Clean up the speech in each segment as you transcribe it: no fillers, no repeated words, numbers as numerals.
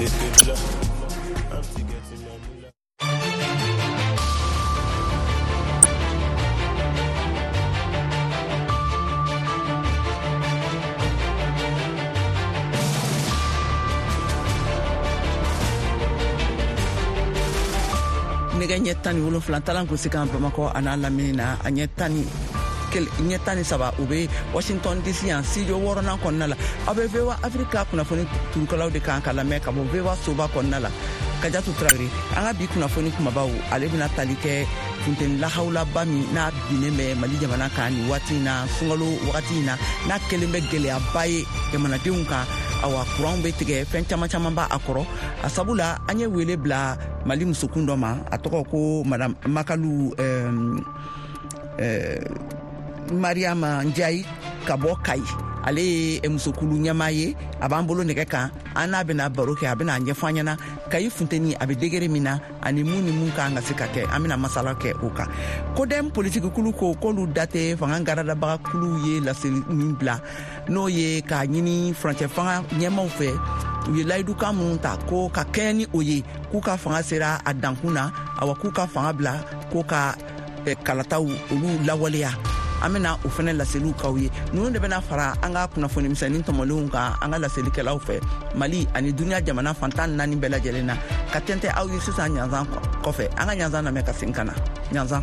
I'm still getting my moolah. Nɛgɛ ɲɛ 17 talan gosi kan Bamakɔ a n'a lamini na, a ɲɛ 13, o bɛ Washington DC yan, studio wɔɔrɔnan kɔnɔna la. Aw bɛ VOA Afrika kunnafoni turukalaw de kan ka lamɛn ka bɔ VOA soba kɔnɔna la. Kajatu Tarawele, an ka bi kunnafoni kumabaw, ale bɛna tali kɛ funteni lahawulaba min n'a binnen bɛ Mali jamana kan nin waati in na, sunkalo wagati in na, n'a kɛlen bɛ gɛlɛyaba ye jamanadenw kan. Awa, kuranw bɛ tigɛ, fɛn caman caman b'a kɔrɔ. A sabu la, an ye wele bila Mali musokun dɔ ma, a tɔgɔ ko Madame Makalu Mariama Njayi ka bɔ Kayi. Ale ye musokulu ɲɛmaa ye, a b'an bolo nɛgɛ kan. An n'a bɛna baro kɛ, a bɛna a ɲɛfɔ an ɲɛna Kayi funteni a bɛ degré min na ani mun ni mun kan ka se ka kɛ. An bɛna masala kɛ o kan. CODEM politikikulu ko k'olu da tɛ fanga garadabaga kuluw ye laseli min bila, n'o ye k'a ɲini furancɛ fanga ɲɛmaw fɛ, u ye layidukan minnu ta ko ka kɛɲɛ ni o ye, k'u ka fanga sera a dankun na, awa k'u ka fanga bila ko ka kalataw olu lawaleya. An bɛna o fɛnɛ laseliw k'aw ye. Ninnu de bɛna fara an ka kunnafoni misɛnnin tɔmɔlenw kan an ka laselikɛlaw fɛ Mali ani duniya jamana fan 14 bɛɛ lajɛlen na, ka tɛntɛ aw ye sisan ɲanzan kɔfɛ. An ka ɲanzan lamɛn ka segin ka na. Ɲanzan.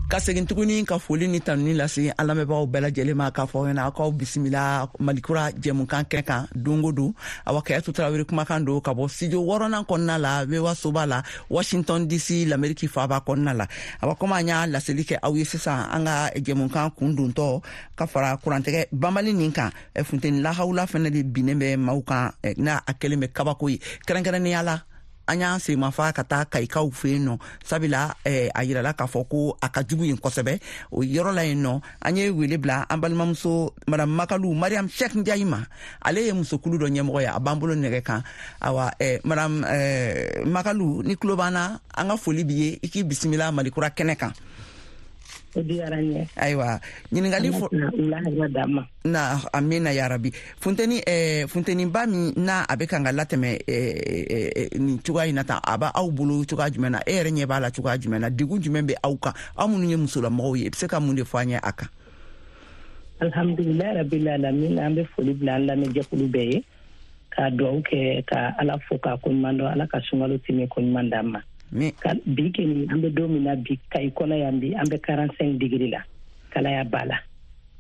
Ka segin tuguni ka foli ni tanuni lase an lamɛnbagaw bɛɛ lajɛlen ma, k'a fɔ ɲɛna aw k'aw bisimila Malikura jɛmukan kɛnɛ kan don o don. Awa, Kayatu Tarawele kumakan don ka bɔ studio wɔɔrɔnan kɔnɔna la, VOA soba la, Washington DC, Lamɛriki faaba kɔnɔna la. Awa, komi an y'a laseli kɛ aw ye sisan, an ka jɛmukan kun dontɔ ka fara kurantigɛ banbali nin kan, funteni lahawula fɛnɛ de binnen bɛ maaw kan, n'a a kɛlen bɛ kabako ye. Kɛrɛnkɛrɛnnenya la, an y'an senmafa ka taa Kayikaw fɛ yen nɔ, sabula a yirala k'a fɔ ko a ka jugu yen kosɛbɛ. O yɔrɔ la yen nɔ, an ye wele bila an balimamuso Madame Makalu Mariam Cheikh Ndiaye ma. Ale ye musokulu dɔ ɲɛmɔgɔ ye, a b'an bolo nɛgɛ kan. Awa, Madame Makalu, ni tulo b'an na, an ka foli b'i ye, i k'i bisimila Malikura kɛnɛ kan. O diyara n ye. Ayiwa, ɲininkali fɔ na, amina yarabi. Funteni funteniba min n'a a bɛ kan ka latɛmɛ nin cogoya in na tan, a b'aw bolo cogoya jumɛn na? E yɛrɛ ɲɛ b'a la cogoya jumɛn na? Degun jumɛn bɛ aw kan, aw minnu ye musolamɔgɔw ye? I bɛ se ka mun de fɔ an ye a kan? Alhamdulilayi rabil alamin. An bɛ foli bila an lamɛnjɛkulu bɛɛ ye, ka duwawu kɛ, ka Ala fo k'a koɲuman dɔn. Ala ka sunkalo tɛmɛ koɲuman d'an ma. Bi keni, an bɛ don min na bi, Kayi kɔnɔ yan bi, an bɛ 45 degré la. Kalaya b'a la,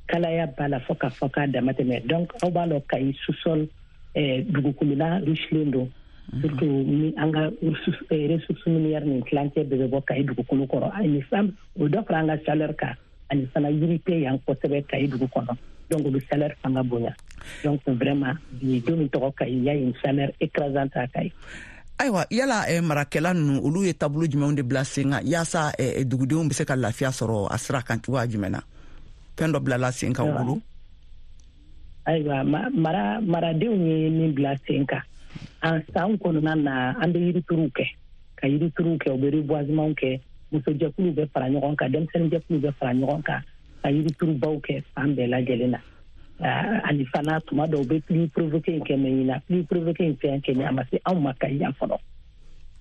kalaya b'a la fo ka fɔ k'a dama tɛmɛ. Donc aw b'a lɔn, Kayi sous-sol dugukolola richelen don, surtout ni an ka ressource minière nin tilancɛ bɛɛ bɛ bɔ Kayi dugukolo kɔrɔ. Ani san, o dɔ fara an ka chaleur kan. Ani fana, yiri tɛ yan kosɛbɛ Kayi dugu kɔnɔ, donc o bɛ chaleur fanga bonya. Donc vraiment, bi don min tɔgɔ Kayi, y a une chaleur écrasante à Kayi. Ayiwa, yala marakɛla ninnu, olu ye taabolo jumɛnw de bila sen kan yaasa dugudenw bɛ se ka lafiya sɔrɔ a sira kan cogoya jumɛn na? Fɛn dɔ bilala sen kan u bolo? Ayiwa, maradenw ye min bila sen kan, an san kɔnɔna na, an bɛ yirituruw kɛ, ka yirituruw kɛ, u bɛ reboisement kɛ. Musojɛkuluw bɛ fara ɲɔgɔn kan, denmisɛnninjɛkuluw bɛ fara ɲɔgɔn kan ka yiriturubaw kɛ fan bɛɛ lajɛlen na. Ani fana, tuma dɔw, u bɛ pluie provoquée in kɛ, mais ɲinan pluie provoquée in fɛn kɛ, a ma se anw ma Kayi yan fɔlɔ.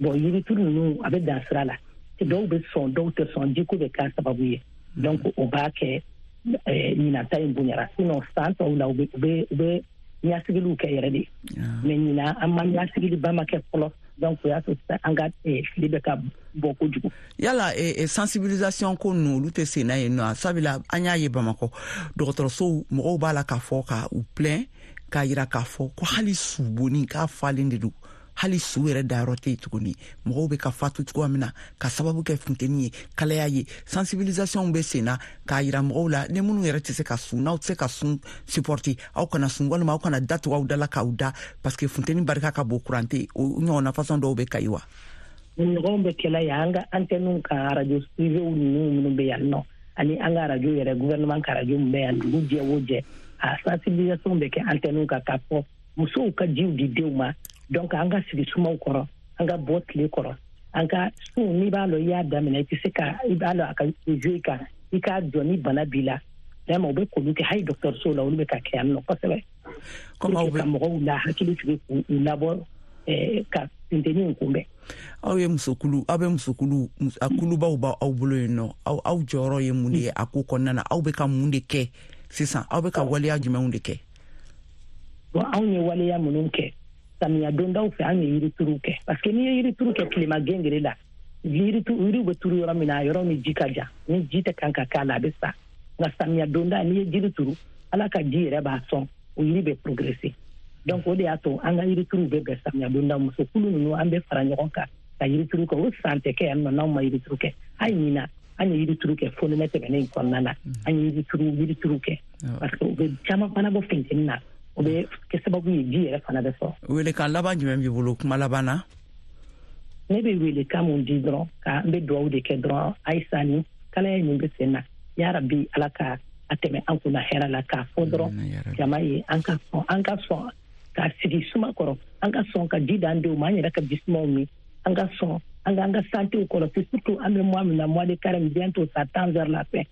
Bon, yirituru ninnu, a bɛ dan sira la. Dɔw bɛ sɔn, dɔw tɛ sɔn, jiko bɛ k'a sababu ye. Donc o b'a kɛ ɲinan ta in bonyara. Sinon san tɔw la, u bɛ ɲasigiliw kɛ yɛrɛ de, mais ɲinan an ma ɲasigiliba ma kɛ fɔlɔ. Donc o y'a to an ka fili bɛ ka bɔ kojugu. Yala sensibilisation ko ninnu, olu tɛ sen na yen nɔ? Sabula an y'a ye Bamakɔ dɔgɔtɔrɔsow, mɔgɔw b'a la k'a fɔ ka u plaint, k'a yira k'a fɔ ko hali subonni k'a falen de don, hali su yɛrɛ dayɔrɔ tɛ yen tuguni. Mɔgɔw bɛ ka fatu cogoya min na ka sababu kɛ funteni ye, kalaya ye, sensibilisation bɛ sen na k'a yira mɔgɔw la, ni minnu yɛrɛ tɛ se ka sun, n'aw tɛ se ka sun supporter, aw kana sun, walima aw kana da tugu aw da la k'aw da, parce que funteni barika ka bon, kuran tɛ. O ɲɔgɔnna façon dɔw bɛ Kayi wa? Ɲɔgɔnw bɛ kɛla yan an ka antennew kan, radio privéw ninnu minnu bɛ yan nɔ, ani an ka radio yɛrɛ, gouvernement ka radio min bɛ yan. Dugu jɛ o jɛ, a sensibilisation bɛ kɛ antennew kan k'a fɔ musow ka jiw di denw ma. Donc an ka sigi sumaw kɔrɔ, an ka bɔ tile kɔrɔ. An ka sun, n'i b'a lɔn i y'a daminɛ, i tɛ se ka, i b'a lɔn a ka jouer kan, i k'a jɔ ni bana b'i la. Vraiment, u bɛ k'olu kɛ hali dɔgɔtɔrɔsow la, olu bɛ ka kɛ yan nɔ kosɛbɛ. Comme aw ka mɔgɔw la hakili sigi, k'u labɔ ka funteni in kunbɛn. Aw ye musokulu, aw bɛ musokulu, a kulubaw b'aw bolo yen nɔ. Aw jɔyɔrɔ ye mun de ye a ko kɔnɔna na? Aw bɛ ka mun de kɛ sisan? Aw bɛ ka waleya jumɛnw de kɛ? Bon, anw ye waleya minnu kɛ samiya dondaw fɛ, an ye yirituru kɛ, parce que n'i ye yirituru kɛ tilema gengere la, yiriw bɛ turu yɔrɔ min na, a yɔrɔ ni ji ka jan, ni ji tɛ kan ka k'a la, a bɛ sa. Nka samiya donda, n'i ye jiri turu, Ala ka ji yɛrɛ b'a sɔn, o yiri bɛ progresser. Donc o de y'a to an ka yirituruw bɛ bɛn samiya donda. Musokulu ninnu, an bɛ fara ɲɔgɔn kan ka yirituru kɛ. O san tɛ kɛ yan nɔ n'anw ma yirituru kɛ. Hali ɲina, an ye yirituru kɛ fonɛnɛ tɛmɛnen in kɔnɔna na, an ye yirituru kɛ, parce que u bɛ caman fana bɔ funteni na, o bɛ kɛ sababu ye ji yɛrɛ fana bɛ sɔrɔ. Welekan laban jumɛn b'i bolo kuma laban na? Ne bɛ welekan mun di dɔrɔn, ka n bɛ dugawu de kɛ dɔrɔn. Ayisa, ni kalaya min bɛ sen na, yarabi Ala ka a tɛmɛ an kunna hɛrɛ la. K'a fɔ dɔrɔn jama ye, an ka sɔn, an ka sɔn ka sigi suma kɔrɔ, an ka sɔn ka ji d'an denw ma, an yɛrɛ ka ji sumaw min, an ka sɔn an k'an ka santéw kɔlɔsi, surtout an bɛ mois min na, mois de carême, bientôt ça tend vers la fin.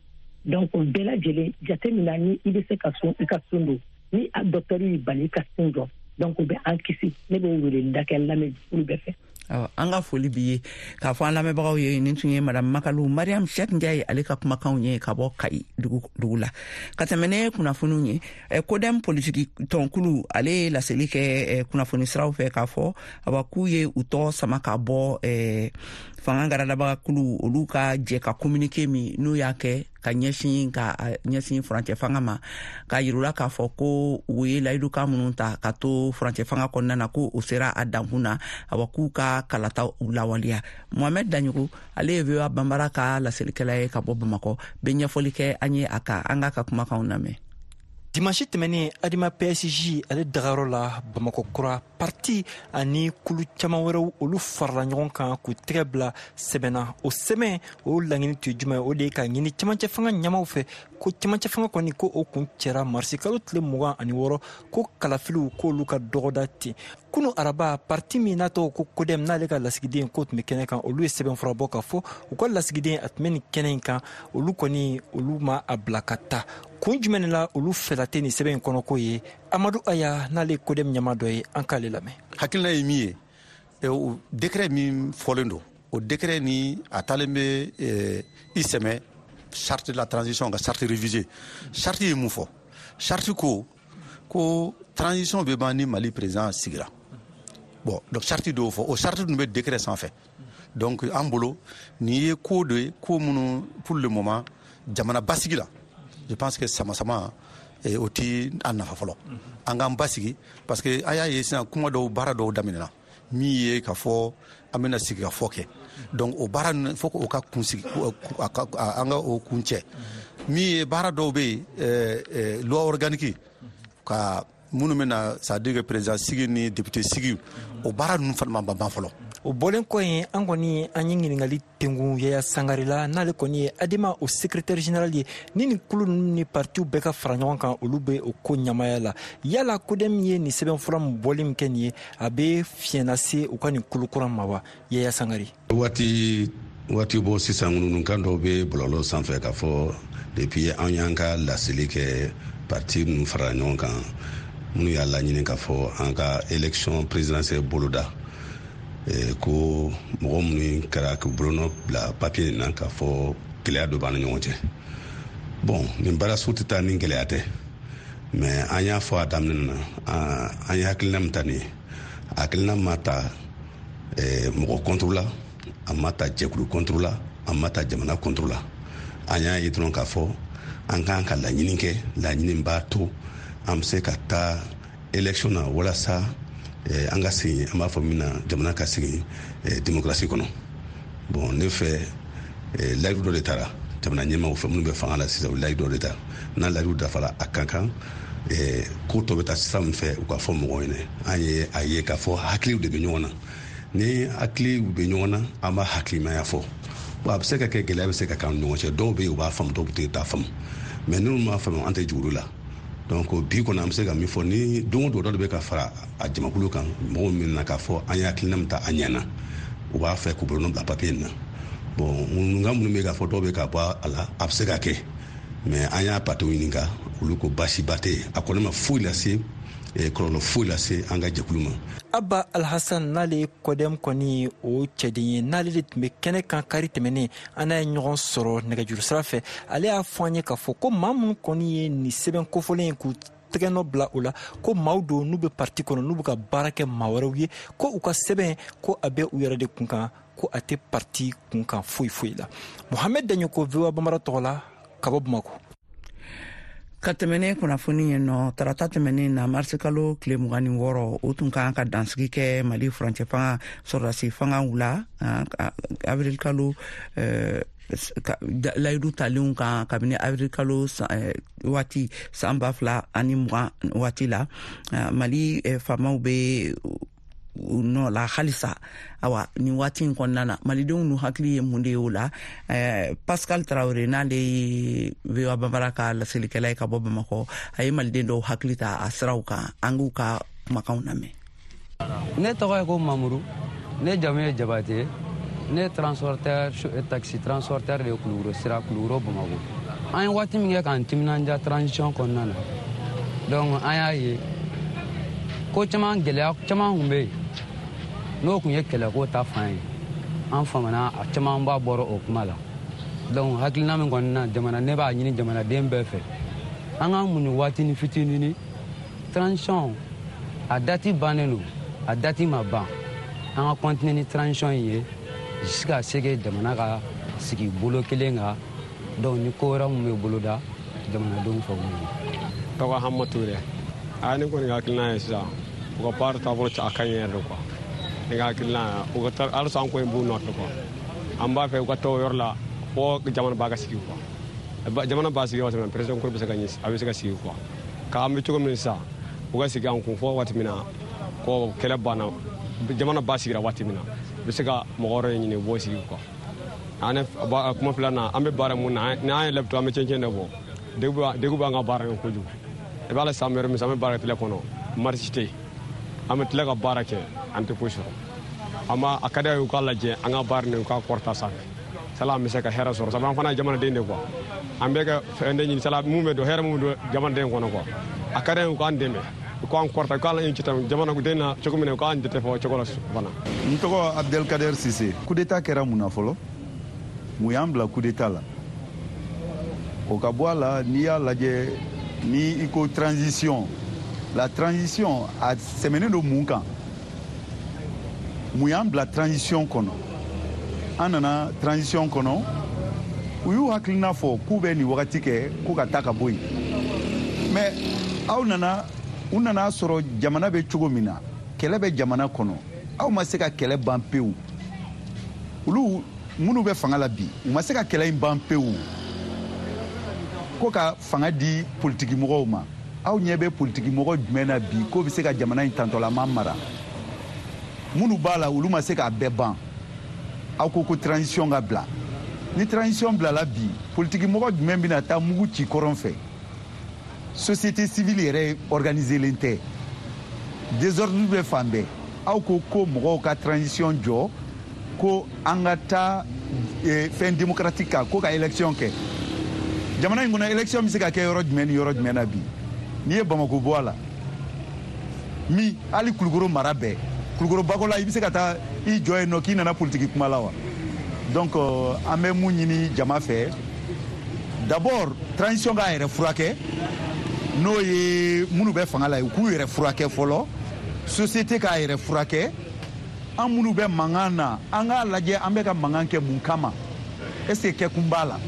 Donc o bɛɛ lajɛlen jate min na, ni i bɛ se ka sun, i ka sun don. Ni a docteur y'i bali, i ka sun jɔ. Donc o bɛ an kisi. Ne b'o weleli kɛ n lamɛnjɛkulu bɛɛ fɛ. An ka foli b'i ye. K'a fɔ an lamɛnbagaw ye, nin tun ye Madame Makalu Mariam Cheick Ndiaye, ale ka kumakanw ye ka bɔ Kayi dugu la. Ka tɛmɛ ne kunnafoniw ye, CODEM politiki tɔnkulu, ale ye laseli kɛ kunnafoni siraw fɛ k'a fɔ awa k'u ye u tɔgɔ sama ka bɔ fanga garadabaga kulu olu ka jɛ ka communiqué min n'u y'a kɛ ka ɲɛsin furancɛ fanga ma, k'a yirula k'a fɔ ko u ye layidukan minnu ta ka to furancɛ fanga kɔnɔna na, ko o sera a dankun na, awa k'u ka kalata u lawaleya. Mohamɛd Daɲogo, ale ye VOA Banbara ka laselikɛla ye ka bɔ Bamakɔ, bɛ ɲɛfɔli kɛ an ye a kan. An k'a ka kumakanw lamɛn. Dimanche tɛmɛnen, Adema PSG ale dagayɔrɔ la Bamakɔ kura, parti ani kulu caman wɛrɛw, olu farala ɲɔgɔn kan k'u tɛgɛ bila sɛbɛnna. O sɛbɛn o laɲini tun ye jumɛn? O de ye ka ɲini cɛmancɛ fanga ɲɛmaw fɛ ko cɛmancɛ fanga kɔni, ko o kun cɛra marisi kalo tile 26, ko kalafiliw k'olu ka dɔgɔda ten. Kunu araba, parti min n'a tɔgɔ ko CODEM, n'ale ka lasigiden ko tun bɛ kɛnɛ kan, olu ye sɛbɛnfura bɔ k'a fɔ u ka lasigiden a tun bɛ nin kɛnɛ in kan, olu kɔni olu ma a bila ka taa. Kun jumɛn de la olu fɛla tɛ nin sɛbɛn in kɔnɔko ye? Amadu Aya, n'ale ye CODEM ɲɛma dɔ ye, an k'ale lamɛn. Hakilina ye min ye, o décret min fɔlen don, o décret ni a taalen bɛ i sɛmɛ charte de la transition ka charte révisée. Charte ye mun fɔ? Charte ko transition bɛ ban ni Mali président sigira. Bon, donc charte dɔw fɔ, o charte dun bɛ décret sanfɛ. Donc an bolo, nin ye ko de ye, ko minnu pour le moment jamana basigi la, je pense que sama-sama o ti an nafa fɔlɔ. An k'an basigi, parce que a y'a ye sisan kuma dɔw, baara dɔw daminɛna min ye k'a fɔ an bɛna sigi ka fɔ kɛ. Donc o baara ninnu, fo k'o ka kunsigi, an ka o kun cɛ. Min ye baara dɔw bɛ yen, loi organique ka minnu bɛna, c'est à dire que président sigi ni député sigi, o baara ninnu fana ma ban fɔlɔ. O bɔlen kɔ yen, an kɔni an ye ɲininkali tengun Yaya Sangare la, n'ale kɔni ye Adema o secrétaire général ye. Ni nin kulu ninnu ni partiw bɛɛ ka fara ɲɔgɔn kan, olu bɛ o ko ɲamaya la. Yala CODEM ye nin sɛbɛnfura min bɔli min kɛ nin ye, a bɛ fiɲɛ lase u ka nin kulu kura ma wa? Yaya Sangare. Waati waati bɔ sisan, ŋununukan dɔw bɛ bɔlɔlɔ sanfɛ k'a fɔ depuis an y'an ka laseli kɛ, parti ninnu farala ɲɔgɔn kan, minnu y'a laɲini k'a fɔ an ka élection présidentielle boloda, ko mɔgɔ minnu kɛra k'u bolonɔ bila papier nin na, k'a fɔ gɛlɛya dɔ b'an ni ɲɔgɔn cɛ. Bon, nin baara sugu tɛ taa ni gɛlɛya tɛ, mais an y'a fɔ a daminɛ na, an ye hakilina min ta nin ye, hakilina ma ta mɔgɔ contre la, a ma ta jɛkulu contre la, a ma ta jamana contre la. An y'a ye dɔrɔn k'a fɔ an k'an ka laɲini kɛ, laɲini b'a to an bɛ se ka taa élection na, walasa an ka segin, an b'a fɔ min na, jamana ka segin démocratie kɔnɔ. Bon, ne fɛ, layidu dɔ de taara jamana ɲɛmaaw fɛ, minnu bɛ fanga la sisan, u layidu dɔ de ta. N'a layidu dafara, a ka kan ko tɔ bɛ taa sira min fɛ, u ka fɔ mɔgɔw ɲɛna. An ye a ye k'a fɔ hakiliw de bɛ ɲɔgɔn na. Ni hakiliw bɛ ɲɔgɔn na, an b'a hakilimaya fɔ. Bon, a bɛ se ka kɛ gɛlɛya bɛ se ka k'an ni ɲɔgɔn cɛ. Dɔw bɛ yen, u b'a faamu, dɔw tɛ t'a faamu, mais minnu m'a faamu, an tɛ juru la. Donc bi kɔni, an bɛ se ka min fɔ, ni don o don dɔ de bɛ ka fara a jamakulu kan, mɔgɔw min na k'a fɔ an ye hakilina min ta, a ɲɛna. U b'a fɛ k'u bolonɔ bila papiye in na. Bon, ŋunuŋunukan minnu bɛ k'a fɔ dɔw bɛ ka bɔ a la, a bɛ se ka kɛ, mais an y'a patiw ɲininka, olu ko baasiba tɛ yen, a kɔni ma foyi lase, kɔlɔlɔ foyi lase an ka jɛkulu ma. Abba Alhassan, n'ale ye CODEM kɔni o cɛden ye, n'ale de tun bɛ kɛnɛ kan kari tɛmɛnen, an n'a ye ɲɔgɔn sɔrɔ nɛgɛjuru sira fɛ. Ale y'a fɔ an ye k'a fɔ ko maa minnu kɔni ye nin sɛbɛn kofɔlen ye k'u tɛgɛnɔ bila o la, ko maaw don n'u bɛ parti kɔnɔ, n'u bɛ ka baara kɛ maa wɛrɛw ye, ko u ka sɛbɛn ko a bɛ u yɛrɛ de kun kan, ko a tɛ parti kun kan foyi foyi la. Mohamɛd Daɲoko, VOA Bambara tɔgɔ la, ka bɔ Bamako. Ka tɛmɛnen kunnafoni ye nɔ, tarata tɛmɛnen na, marisikalo tile 26, o tun kan ka dansigi kɛ Mali furancɛ fanga sɔrɔdasi fangaw la avril kalo layidu talenw kan kabini avril kalo waati san 2020 waati la. Mali faamaw bɛ u nɔ la halisa. Awa, nin waati in kɔnɔna na, malidenw nu hakili ye mun de ye o la? Pascal Tarawele, n'ale ye VOA Bambara ka laselikɛla ye ka bɔ Bamakɔ, a ye maliden dɔw hakili ta a siraw kan. An k'u ka kumakanw lamɛn. Ne tɔgɔ ye ko Mamuru, ne jamu ye Jabate, ne transporteur, taxi transporteur de ye Kulukoro sira, Kulukoro Bamakɔ. An ye waati min kɛ k'an timinanja transition kɔnɔna na, donc an y'a ye ko caman, gɛlɛya caman tun bɛ yen, n'o tun ye kɛlɛko ta fan ye. An famana, a camanba bɔra o kuma la. Donc hakilina min kɔni na jamana, ne b'a ɲini jamanaden bɛɛ fɛ, an k'an muɲu waatinin fitinin. Transition a dati bannen don, a dati ma ban, an ka continuer ni transition in ye jusqu'à ce que jamana ka sigi bolo kelen kan. Donc ni ko wɛrɛ min bɛ boloda jamanadenw fɛ, o ye. Tɔgɔ Hama Ture. A ne kɔni ka hakilina ye sisan, u ka baara taabolo a ka ɲi yɛrɛ de quoi. Ne ka hakilina, u ka halisa an kɔni b'u nɔfɛ quoi. An b'a fɛ u ka taa o yɔrɔ la fo jamana b'a ka sigi quoi. Jamana b'a sigi waati min na, président kura bɛ se ka ɲɛ, a bɛ se ka sigi quoi. K'an bɛ cogo min sisan, u ka sigi an kun fo waati min na ko kɛlɛ banna, jamana ba sigira waati min na, u bɛ se ka mɔgɔ wɛrɛ ɲini, u b'o sigi quoi. An kuma filanan, an bɛ baara mun na, ni an ye lɛbito, an bɛ cɛncɛn de bɔ, degun b'an ka baara kɛ kojugu. I b'a la san wɛrɛ min, an bɛ baara kɛ tile kɔnɔ, marisi tɛ yen, an bɛ tila ka baara kɛ, an tɛ foyi sɔrɔ. An b'a a ka di a ye u k'a lajɛ an ka baara nin, u k'a kɔrɔta sanfɛ, sala an bɛ se ka hɛrɛ sɔrɔ, sabu an fana ye jamanaden de quoi. An bɛ ka fɛn de ɲini, sala mun bɛ don, hɛrɛ mun bɛ don jamanaden kɔnɔ quoi. A ka di a ye u k'an dɛmɛ, u k'an kɔrɔta, u k'an jate jamanaden na cogo min na, u k'an jate fɔ cogo la fana. N tɔgɔ Abdelkader Sise. Coup d'état kɛra mun na fɔlɔ? Mun y'an bila coup d'état la? O ka bɔ a la, n'i y'a lajɛ, ni i ko transition, la transition a sɛmɛnen don mun kan? Mun y'an bila transition kɔnɔ? An nana transition kɔnɔ, u y'u hakilina fɔ k'u bɛ nin wagati kɛ ko ka taa ka bɔ yen, mais aw nana, u nana sɔrɔ jamana bɛ cogo min na, kɛlɛ bɛ jamana kɔnɔ, aw ma se ka kɛlɛ ban pewu. Olu minnu bɛ fanga la bi, u ma se ka kɛlɛ in ban pewu, ko ka fanga di politiki mɔgɔw ma. Aw ɲɛ bɛ politiki mɔgɔ jumɛn na bi k'o bɛ se ka jamana in tantɔlama mara? Minnu b'a la, olu ma se k'a bɛɛ ban. Aw ko ko transition ka bila. Ni transition bilala bi, politiki mɔgɔ jumɛn bɛna taa mugu ci kɔrɔn fɛ? Société civile yɛrɛ organiselen tɛ, désordre bɛ fan bɛɛ. Aw ko ko mɔgɔw ka transition jɔ, ko an ka taa fɛn démocratique kan, ko ka élection kɛ jamana in kɔnɔ. Élection bɛ se ka kɛ yɔrɔ jumɛn ni yɔrɔ jumɛn na bi? N'i ye Bamako bɔ a la, min hali Kulukoro mara bɛɛ, Kulukoro Bakola, i bɛ se ka taa i jɔ yen nɔ k'i nana politiki kuma la wa? Donc an bɛ mun ɲini jama fɛ? D'abord, transition k'a yɛrɛ furakɛ, n'o ye minnu bɛ fanga la ye, u k'u yɛrɛ furakɛ fɔlɔ, société k'a yɛrɛ furakɛ. An minnu bɛ mankan na, an k'a lajɛ an bɛ ka mankan kɛ mun kama? Est ce que kɛkun b'a la?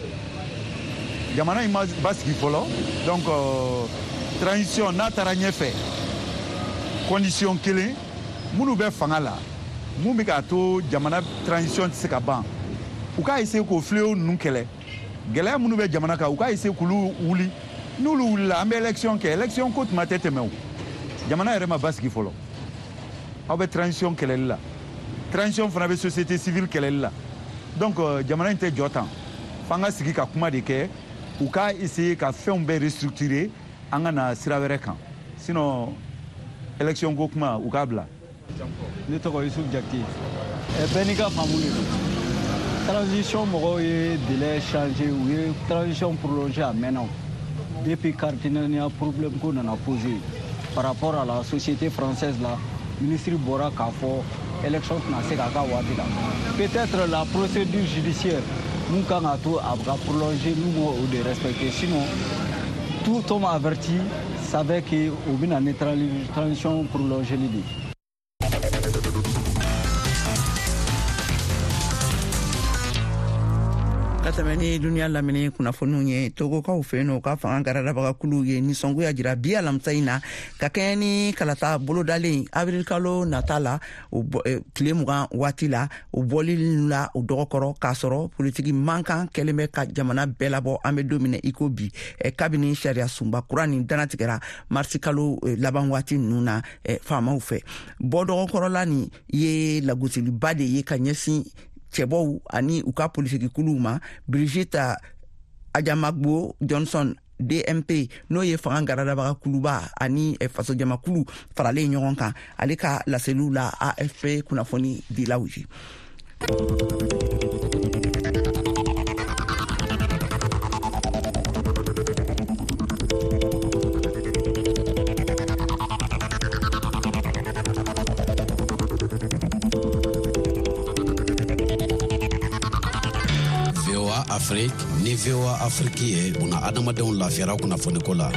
Jamana in ma basigi fɔlɔ. Donc transition n'a taara ɲɛfɛ, condition kelen, minnu bɛ fanga la, mun bɛ k'a to jamana transition tɛ se ka ban, u k'a essayer k'o fléau ninnu kɛlɛ. Gɛlɛya minnu bɛ jamana kan, u k'a essayer k'olu wuli. N'olu wulila, an bɛ élection kɛ. Élection ko tuma tɛ tɛmɛ o, jamana yɛrɛ ma basigi fɔlɔ. Aw bɛ transition kɛlɛli la, transition fana bɛ société civile kɛlɛli la. Donc jamana in tɛ jɔ tan, f'an ka sigi ka kuma de kɛ. U k'a essayer ka fɛnw bɛɛ restructurer, an ka na sira wɛrɛ kan. Sinon élection ko kuma, u k'a bila. Ne tɔgɔ Yusuf Jakite. Bɛɛ n'i ka faamu de don. Transition mɔgɔw ye délai changé, u ye transition prolongé a mɛnna o. Depuis carte NINA problème ko nana posé par rapport à la société française la, ministre bɔra k'a fɔ élection tɛna se k'a ka waati la. Peut-être la procédure judiciaire mun kan ka to a ka prolonger, n'u m'o de respecter. Sinon, tout homme averti savait que u bɛna ni transition prolongée de ye. Ka tɛmɛ ni duniya lamini kunnafoniw ye, Togokaw fɛ yen nɔ, u ka fanga garadabagakuluw ye nisɔngoya jira bi alamisa in na ka kɛɲɛ ni kalata bolodalen awirilikalo nata la, o tile 20 waati la, o bɔli la o dɔgɔkɔrɔ, k'a sɔrɔ politiki mankan kɛlen bɛ ka jamana bɛɛ labɔ an bɛ don min na i ko bi, kabini sariya sunba kura nin dannatigɛra marisi kalo laban waati ninnu na faamaw fɛ. Bɔ dɔgɔkɔrɔla nin ye lagosiliba de ye ka ɲɛsin cɛbɔw ani u ka politikikuluw ma. Brigitte Adjamagbo Johnson DMP, n'o ye fanga garadabaga kuluba ani fasojamakulu faralen ɲɔgɔn kan, ale ka laseliw la AFP kunnafoni dilaw ye. Afrique ni VOA Afrique ye buna adamadenw lafiyara kunnafoniko la.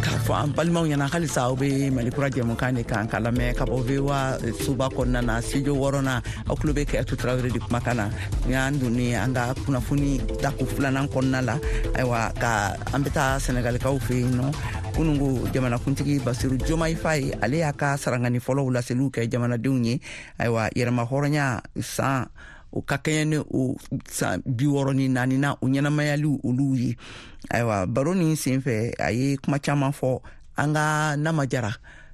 K'a fɔ an balimaw ɲɛna halisa aw bɛ Mali kura jɛmukan de kan ka lamɛn ka bɔ VOA soba kɔnɔna na, studio wɔɔrɔnan. Aw tulo bɛ Kɛyatu Tarawele de kumakan na. Ni y'an donni an ka kunnafoni dako filanan kɔnɔna la, ayiwa, ka an bɛ taa Sɛnɛgalikaw fɛ yen nɔ. Kunungo jamanakuntigi Basiru Jomayi Faye, ale y'a ka sarangani fɔlɔw laseliw kɛ jamanadenw ye. Ayiwa, yɛrɛma hɔrɔnya san o ka kɛɲɛ ni o san 64 na o ɲɛnamayaliw olu ye. Ayiwa, baro nin sen fɛ, a ye kuma caman fɔ. An ka Nama Jara,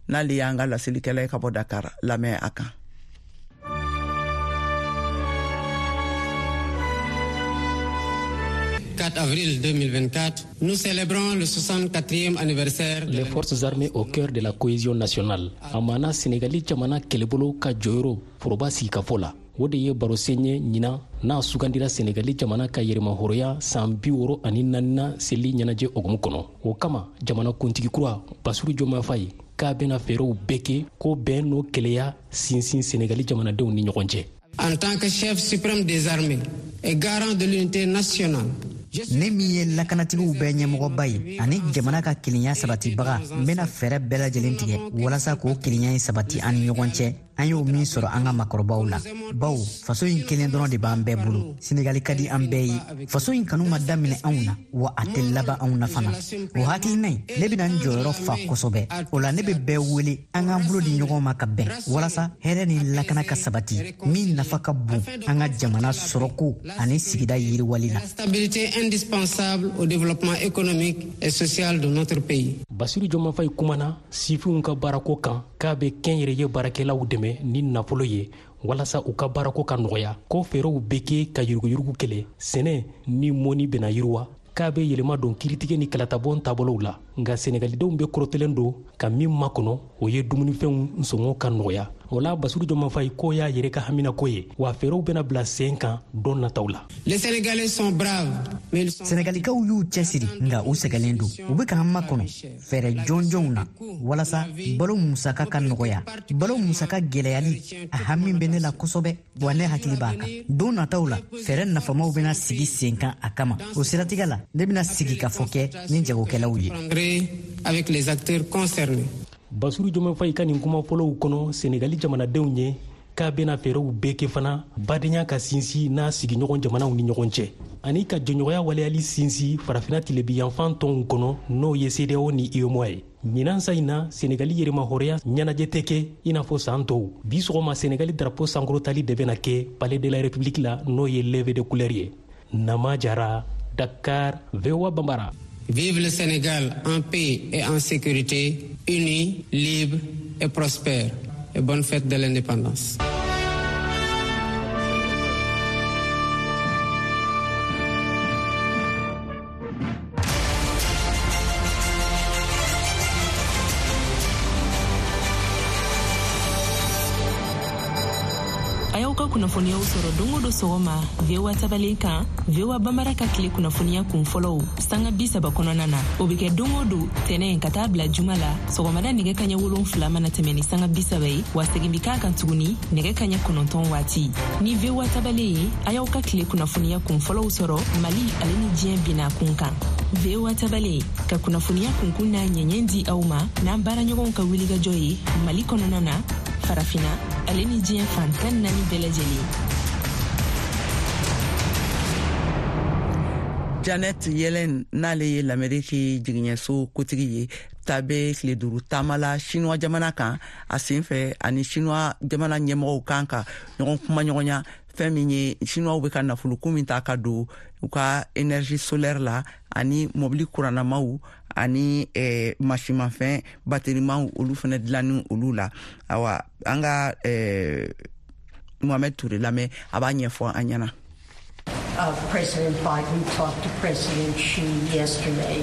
n'ale y'an ka laselikɛla ye ka bɔ Dakar, lamɛn a kan. Avril 2024, nous célébrons le 64e anniversaire de les forces armées au cœur de la cohésion nationale. A maana Senegali jamana kɛlɛbolo ka jɔyɔrɔ foroba sigikafɔ la. O de ye barosen ye ɲinan n'a sugandira Senegali jamana ka yɛrɛmahɔrɔnya san 64nan seli ɲɛnajɛ hukumu kɔnɔ. O kama, jamana kuntigi kura Basiru Jomayi Faye k'a bɛna fɛɛrɛw bɛɛ kɛ ko bɛn n'o kɛlɛya sinsin Senegali jamanadenw ni ɲɔgɔn cɛ. En tant que chef suprême des armées et garant de l'unité nationale, ne min ye lakanatigiw bɛɛ ɲɛmɔgɔba ye ani jamana ka kelenya sabatibaga, n bena fɛɛrɛ bɛɛ lajɛlen tigɛ walasa k'o kelenya in sabati an ni ɲɔgɔn cɛ, an y'o min sɔrɔ an ka makɔrɔbaw la, bawo faso in kelen dɔrɔn de b'an bɛɛ bolo. Senegali ka di an bɛɛ ye. Faso in kanu ma daminɛ anw na, wa a tɛ laban anw na fana. O hakilina in, ne bena n jɔyɔrɔ fa kosɛbɛ o la. Ne be bɛɛ wele an k'an bolo di ɲɔgɔn ma ka bɛn walasa hɛrɛ ni lakana ka sabati, min nafa ka bon an ka jamana sɔrɔko ani sigida yiriwali la. Stabilité indispensable au développement économique et social de notre pays. Basiru Jomayi Faye kumana sifinw ka baarako kan, k'a bɛ kɛnyɛrɛye baarakɛlaw dɛmɛ ni nafolo ye walasa u ka baarako ka nɔgɔya, ko fɛɛrɛw bɛ kɛ ka yuruguyurugu kɛlɛ, sɛnɛ ni mɔni bɛna yiriwa, k'a bɛ yɛlɛma don kiiritigɛ ni kalatabɔn taabolow la. Nka Senegalidenw bɛ kɔrɔtɛlen don ka min makɔnɔ, o ye dumunifɛnw sɔngɔ ka nɔgɔya. O la, Basiru Jomayi Faye k'o y'a yɛrɛ ka haminako ye, wa fɛɛrɛw bɛna bila sen kan don nataw la. Les Sénégalais sont braves, mais ils sont Sɛnɛgalikaw y'u cɛsiri, nka u sɛgɛlen don. U bɛ k'an makɔnɔ fɛɛrɛ jɔnjɔnw na walasa balo musaka ka nɔgɔya. Balo musaka gɛlɛyali, a hami bɛ ne la kosɛbɛ, wa ne hakili b'a kan. Don nataw la, fɛɛrɛ nafamaw bɛna sigi sen kan a kama. O siratigɛ la, ne bɛna sigi ka fɔ kɛ ni jagokɛlaw ye. Avec les acteurs concernés. Basiru Jomayi Faye ka nin kuma fɔlɔw kɔnɔ Senegali jamanadenw ye k'a bɛna fɛɛrɛw bɛɛ kɛ fana badenya ka sinsin n'a sigiɲɔgɔn jamanaw ni ɲɔgɔn cɛ, ani ka jɛɲɔgɔnya waleyali sinsin Farafina tilebiyanfan tɔnw kɔnɔ, n'o ye CEDEAO ni UEMOA ye. Ɲinan sa in na, Senegali yɛrɛmahɔrɔnya ɲɛnajɛ tɛ kɛ i n'a fɔ saan tɔw. Bi sɔgɔma, Senegali drapeau sankɔrɔtali de bɛna kɛ Palais de la République la, n'o ye levée de couleur ye. Nama Jara, Dakar, VOA Bambara. Vive le Sénégal en paix et en sécurité, uni, libre et prospère. Et bonne fête de l'indépendance. kunnafoniyaw sɔrɔ don o don sɔgɔma VOA tabalen kan, VOA Bambara ka tile kunnafoniya kun fɔlɔw sanga 30 kɔnɔna na. O bɛ kɛ don o don tɛnɛ ka taa bila juma la sɔgɔmada nɛgɛ kaɲɛ 7 mana tɛmɛ ni sanga 30 ye, wa segin bɛ k'a kan tuguni nɛgɛ kaɲɛ 9 waati. Ni VOA tabalen ye, a y'aw ka tile kunnafoniya kun fɔlɔw sɔrɔ Mali ale ni diɲɛ bina kun kan. VOA tabalen ka kunnafoniya kunkun n'a ɲɛɲɛ di aw ma n'an baaraɲɔgɔnw ka wulikajɔ ye Mali kɔnɔna na, farafina ale ni diɲɛ fan 14 bɛɛ lajɛlen. Janet Yellen n'ale ye Lameriki jigiɲɛso kotigi ye, ta bɛ tile 5 taama la Chinois jamana kan. A sen fɛ, ani Chinois jamana ɲɛmɔgɔw kan ka ɲɔgɔn kumaɲɔgɔnya fɛn min ye Chinois bɛ ka nafoloko min ta ka don u ka énergie solaire la ani mobili kurannamaw ani masimafɛn baterimaw, olu fana dilanni olu la. Awa, an ka Mohamed Touré lamɛn, a b'a ɲɛfɔ an ɲɛna. President Biden talked to President Xi yesterday,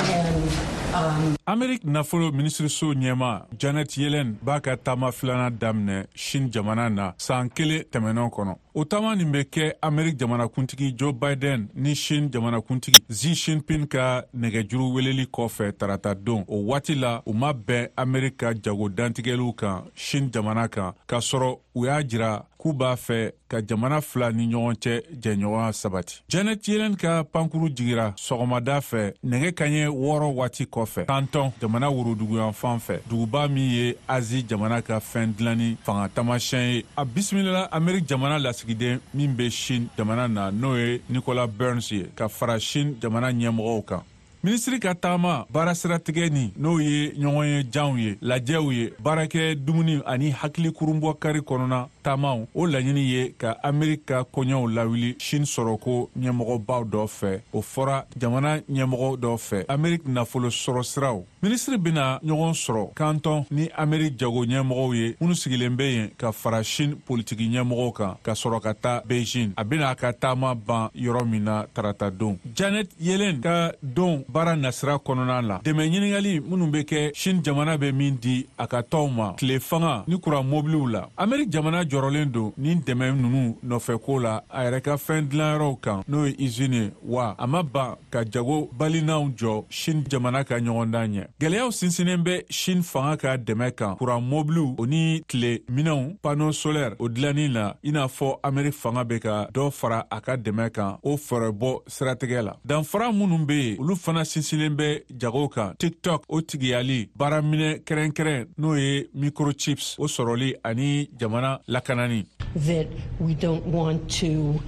and Amerique nafolo minisiriso ɲɛma Janet Yellen b'a ka taama filanan daminɛ Chine jamana na san kelen tɛmɛnɛn kɔnɔ. O taama nin bɛ kɛ Amerique jamanakuntigi Joe Biden ni Chine jamanakuntigi Xi Jinping ka nɛgɛjuru weleli kɔfɛ tarata don. O waati la, u ma bɛn Amerique ka jago dantigɛliw kan Chine jamana kan, k'a sɔrɔ u y'a jira k'u b'a fɛ ka jamana fila ni ɲɔgɔn cɛ jɛɲɔgɔnya sabati. Janet Yellen ka pankuru jigira sɔgɔmada fɛ nɛgɛ kaɲɛ 6 waati kɔfɛ Canton jamana woroduguyanfan fɛ, duguba min ye Azi jamana ka fɛn dilanni fanga taamasiyɛn ye. A bisimilala Amerique jamana lasigiden min bɛ Chine jamana na, n'o ye Nicolas Burns ye, ka fara Chine jamana ɲɛmɔgɔw kan. Minisiri ka taama baara siratigɛ ni n'o ye ɲɔgɔn ye janw ye, lajɛw ye, baarakɛ dumuni ani hakili kurunbɔ kari kɔnɔna taamaw, o laɲini ye ka Ameriki ka koɲɛw lawuli Chine sɔrɔko ɲɛmɔgɔbaw dɔ fɛ. O fɔra jamana ɲɛmɔgɔ dɔ fɛ Ameriki nafolo sɔrɔ siraw. Minisiri bɛna ɲɔgɔn sɔrɔ Canton ni Ameriki jago ɲɛmɔgɔw ye minnu sigilen bɛ yen, ka fara Chine politiki ɲɛmɔgɔw kan, ka sɔrɔ ka taa Beijing. A bɛna a ka taama ban yɔrɔ min na tarata don. Janet Yellen ka don baara nasira kɔnɔna la, dɛmɛ ɲininkali minnu bɛ kɛ Chine jamana bɛ min di a ka tɔnw ma tile fanga ni kuran mobiliw la, Ameriki jamana jɔrɔlen don nin dɛmɛ ninnu nɔfɛko la a yɛrɛ ka fɛn dilanyɔrɔw kan, n'o ye usine ye, wa a ma ban ka jago balinanw jɔ Chine jamana ka ɲɔgɔndan ɲɛ. Gɛlɛyaw sinsinnen bɛ Chine fanga ka dɛmɛ kan kuran mobiliw o ni tile minɛnw panneau solaire o dilanni la, i n'a fɔ Ameriki fanga bɛ ka dɔ fara a ka dɛmɛ kan o fɛɛrɛbɔ siratigɛ la. Danfara minnu bɛ yen, olu fana sinsinnen bɛ jago kan, TikTok o tigiyali, baaraminɛ kɛrɛnkɛrɛn n'o ye microchips o sɔrɔli ani jamana lakanani. That we don't want to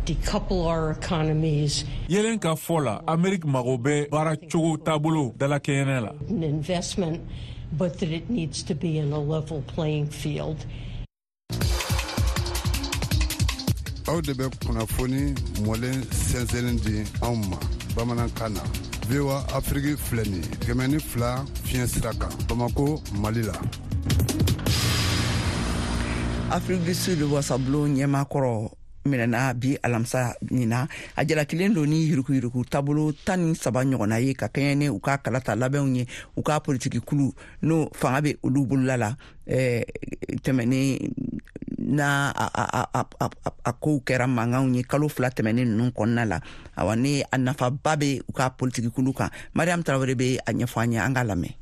decouple our economies. Yellen ka fɔ la, Ameriki mago bɛ baara cogo taabolo dalakɛɲɛnɛ la. An investment, but that it needs to be in a level playing field. Aw de bɛ kunnafoni mɔlen sɛnsɛnlen di anw ma bamanankan na. VOA Afiriki filɛ nin ye 102 fiɲɛ sira kan, Bamako, Mali la. Afrique du Sud wasabulon ɲɛmaakɔrɔ minɛna bi alamisa nin na. A jalakilen don ni yurukuyuruku taabolo 13 ɲɔgɔnna ye ka kɛɲɛ ni u ka kalata labɛnw ye, u ka politiki kulu n'o fanga bɛ olu bolola la tɛmɛnen n'a a kow kɛra mankanw ye kalo 2 tɛmɛnen ninnu kɔnɔna la. Awa, ni a nafaba bɛ u ka politiki kulu kan. Mariam Tarawele bɛ a ɲɛfɔ an ye, an k'a lamɛn.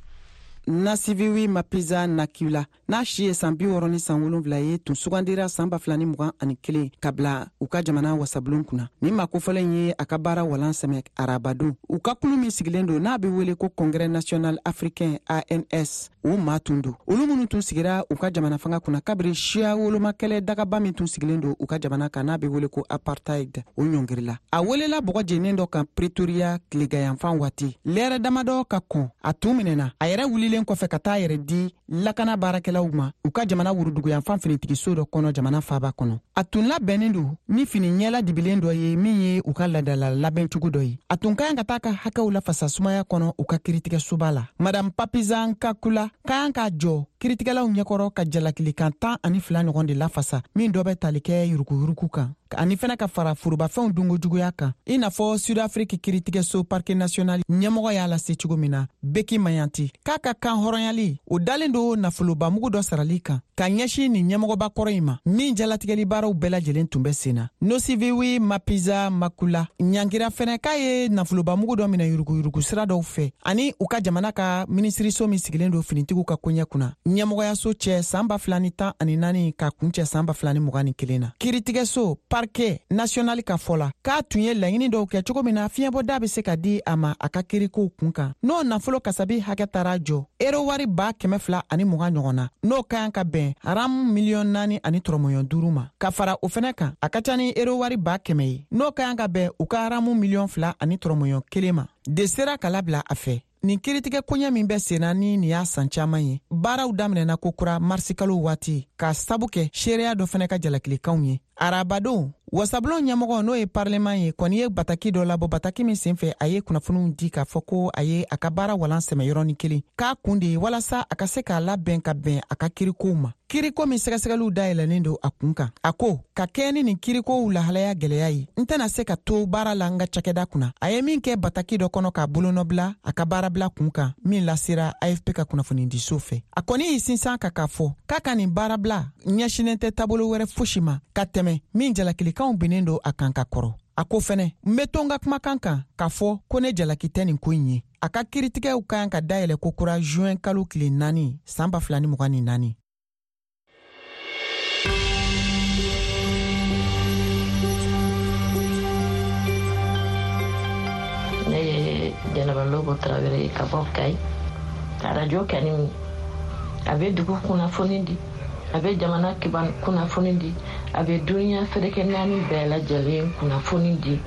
Nosiviwe Mapisa Nqakula, n'a si ye san 67 ye, tun sugandira san 2021 ka bila u ka jamana wasabulon kunna. Nin maa kofɔlen ye a ka baara walan sɛmɛ arabadon. U ka kulu min sigilen don, n'a be wele ko Congrès national africain, ANC, o maa tun don, olu minnu tun sigira u ka jamana fanga kunna kabiri siya wolomakɛlɛ dagaba min tun sigilen don u ka jamana kan, n'a be wele ko apartheid, o ɲɔngirila. A welela bɔgɔ jennen dɔ kan Pretoria tilegayanfan waati, lɛrɛ damadɔ ka kɔn a tun minɛna, a yɛrɛ wulilen kɔfɛ ka taa yɛrɛ di lakana baarakɛlaw ma u ka jamana wuruduguyanfan finitigiso dɔ kɔnɔ jamana faaba kɔnɔ. A tun labɛnnen don ni fini ɲɛla dibilen dɔ ye min ye u ka ladala labɛncogo dɔ ye. A tun ka kan ka taa ka hakɛw lafasa sumaya kɔnɔ u ka kiritigɛsoba la. Madame Mapisa Nqakula ka kan ka jɔ. kiritigɛlaw ɲɛkɔrɔ ka jalakilikan 12 ɲɔgɔn de lafasa, min dɔ bɛ tali kɛ yuruguyurugu kan ani fɛnɛ ka fara forobafɛnw dunkojuguya kan, i n'a fɔ Sud-Afrique kiritigɛso parquet national ɲɛmɔgɔ y'a lase cogo min na, Beki Mayanti, k'a ka kan hɔrɔnyali o dalen don nafolobamugu dɔ sarali kan ka ɲɛsin nin ɲɛmɔgɔba kɔrɔ in ma, min jalatigɛli baaraw bɛɛ lajɛlen tun bɛ sen na. Nosiviwe Mapisa Nqakula ɲangira fɛnɛ k'a ye nafolobamugu dɔ minɛ yuruguyurugu sira dɔw fɛ ani u ka jamana ka minisiriso min sigilen don finitigiw ka koɲɛ kunna ɲɛmɔgɔyaso cɛ san 2014 ka kuncɛ san 2021 na. Kiritigɛso parquet national ka fɔ la, k'a tun ye laɲini dɔw kɛ cogo min na fiɲɛbɔda bɛ se ka di a ma a ka kirikow kun kan, n'o nafolo kasabi hakɛ taara jɔ ero wari 220,000 ɲɔgɔn na, n'o ka kan ka bɛn ram miliyɔn naani ani tɔrɔmɔɲɔ duuru ma. Ka fara o fɛnɛ kan, a ka ca ni ero wari 100,000 ye, n'o ka kan ka bɛn u ka ramu miliyɔn fila ani tɔrɔmɔɲɔ kelen ma, de sera ka labila a fɛ. Nin kiritigɛ koɲɛ min bɛ senna ni nin y'a san caman ye, baaraw daminɛna kokura marisikalo waati k'a sabu kɛ seereya dɔ fɛnɛ ka jalakilikanw ye. Arabadon, wasabulon ɲɛmɔgɔ, n'o ye parleman ye, kɔni ye bataki dɔ labɔ, bataki min senfɛ a ye kunnafoniw di k'a fɔ ko a ye a ka baara walan sɛmɛ yɔrɔnin kelen, k'a kun de ye walasa a ka se k'a labɛn ka bɛn a ka kirikow ma, kiriko min sɛgɛsɛgɛliw dayɛlɛlen don a kun kan. A ko ka kɛɲɛ ni nin kirikow lahalaya gwɛlɛya ye, n tɛna se ka to baara la n ka cakɛda kunna. A ye min kɛ bataki dɔ kɔnɔ k'a bolonɔbila a ka baarabila kun kan, min lasera AFP ka kunnafonidiso fɛ. A kɔni y'i sinsin ka k'a fɔ k'a ka nin baarabila ɲɛsinnen tɛ taabolo wɛrɛ fosi ma ka tɛmɛ min jalakilikanw binnen don a kan ka kɔrɔ. A ko fɛnɛ, n be to n ka kumakan kan k'a fɔ ko ne jalaki tɛ nin ko in ye. A ka kiritigɛw ka kan ka dayɛlɛ kokura juin kalo tile 4 san 2024. Ne ye Jɛnɛba Lobo Tarawele ye ka bɔ Kayi. Arajo kɛni a bɛ dugu kunnafoni di, a bɛ jamana kiban kunnafoni di, a bɛ duniya seleke naani bɛɛ lajɛlen kunnafoni di.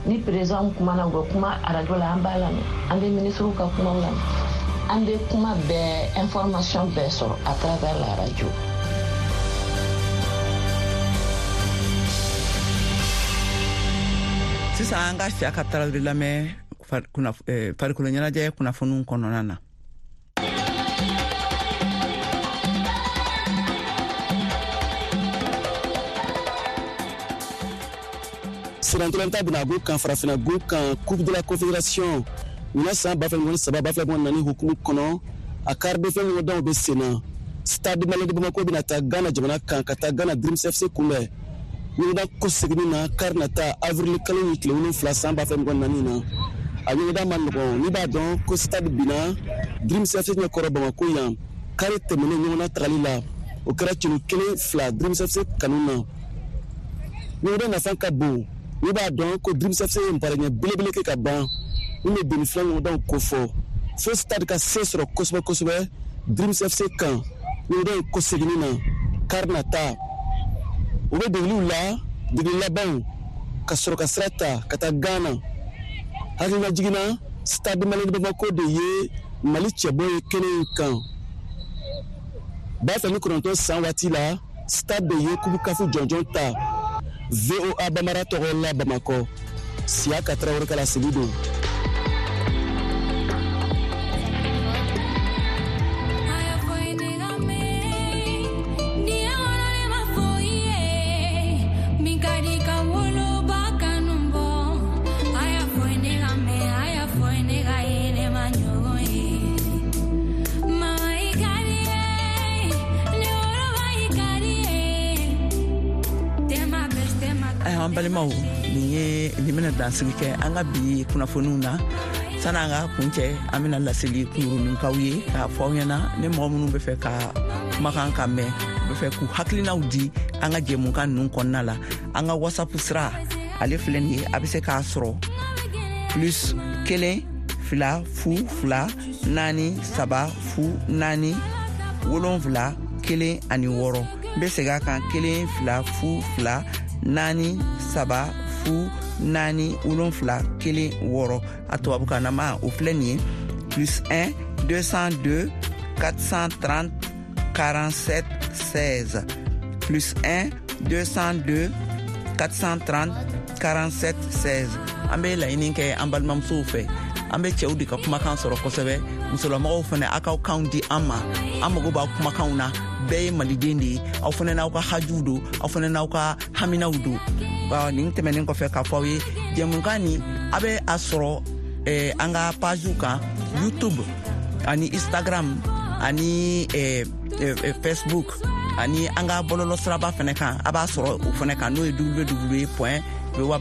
Ni président kumana, u bɛ kuma arajo la, an b'a lamɛn, an bɛ minisiriw ka kumaw lamɛn, an bɛ kuma bɛɛ, information bɛɛ sɔrɔ à travers la radio. Sisan an ka Siyaka Tarawele lamɛn farikolo ɲɛnajɛ kunnafoniw kɔnɔna na. Sirantolanta bɛna gun kan farafina gun kan, Coupe de la Confédération ɲinan san 2023 2024 hukumu kɔnɔ, a quart de finale ɲɔgɔndanw bɛ sen na. Stade Malien de Bamako bɛna taa Ghana jamana kan ka taa Ghana Dreams FC kunbɛn ɲɔgɔndan kɔseginni na kari nata avril kalo ni tile 7 san 2024 na. A ɲɔgɔndan ma nɔgɔn, n'i b'a dɔn ko Stade binna Dreams FC ɲɛkɔrɔ Bamako yan kari tɛmɛnen ɲɔgɔnna tagali la, o kɛra celu 1-2 Dreams FC kanu na. Ɲɔgɔndan nafa ka bon, n'i b'a dɔn ko Dreams FC ye nparɛɲɛ belebele kɛ ka ban min bɛ demi fila ɲɔgɔndanw kofɔ, fo Stade ka se sɔrɔ kosɛbɛ kosɛbɛ Dreams FC kan ɲɔgɔndan in kɔseginni na kari nata. U bɛ degeliw la, degeli labanw, ka sɔrɔ ka sira ta ka taa Ghana. Hakililajigin na, Stade Malien de Bamako de ye Mali cɛbɔ ye kɛnɛ in kan 2009 san waati la. Stade de ye Coupe CAF jɔnjɔn ta. VOA Bamara tɔgɔ la Bamakɔ, Siyaka Tarawele ka laseli don. An balimaw, nin ye nin bɛna dansigi kɛ an ka bi kunnafoniw na. Sani an ka kuncɛ, an bɛna laseli kunkurunin k'aw ye k'a fɔ aw ɲɛna, ni mɔgɔ minnu bɛ fɛ ka kumakan ka mɛn, u bɛ fɛ k'u hakilinaw di an ka jɛmukan ninnu kɔnɔna la, an ka WhatsApp sira ale filɛ nin ye, a bɛ se k'a sɔrɔ plus 1 2 0 2 4 3 0 4 7 1 ani 6. N bɛ segin a kan, 1 2 0 2 4 3 0 4 7 1 6. A tubabukanama o filɛ nin ye plus 1 202 430 47 16, plus 1 202 430 47 16. An bɛ laɲini kɛ an balimamusow fɛ, An bɛ cɛw de ka kumakan sɔrɔ kosɛbɛ. Musolamɔgɔw fana, aw k'aw kanw di an ma, an mago b'aw kumakanw na. Bɛɛ ye Maliden de ye, aw fana n'aw ka hajuw don, aw fana n'aw ka haminaw don. Nin tɛmɛnen kɔfɛ, k'a fɔ aw ye, jɛmukan nin, a bɛ a sɔrɔ an ka pagew kan, YouTube ani Instagram ani Facebook ani an ka bɔlɔlɔ siraba fɛnɛ kan. A b'a sɔrɔ o fɛnɛ kan, n'o ye www point voa.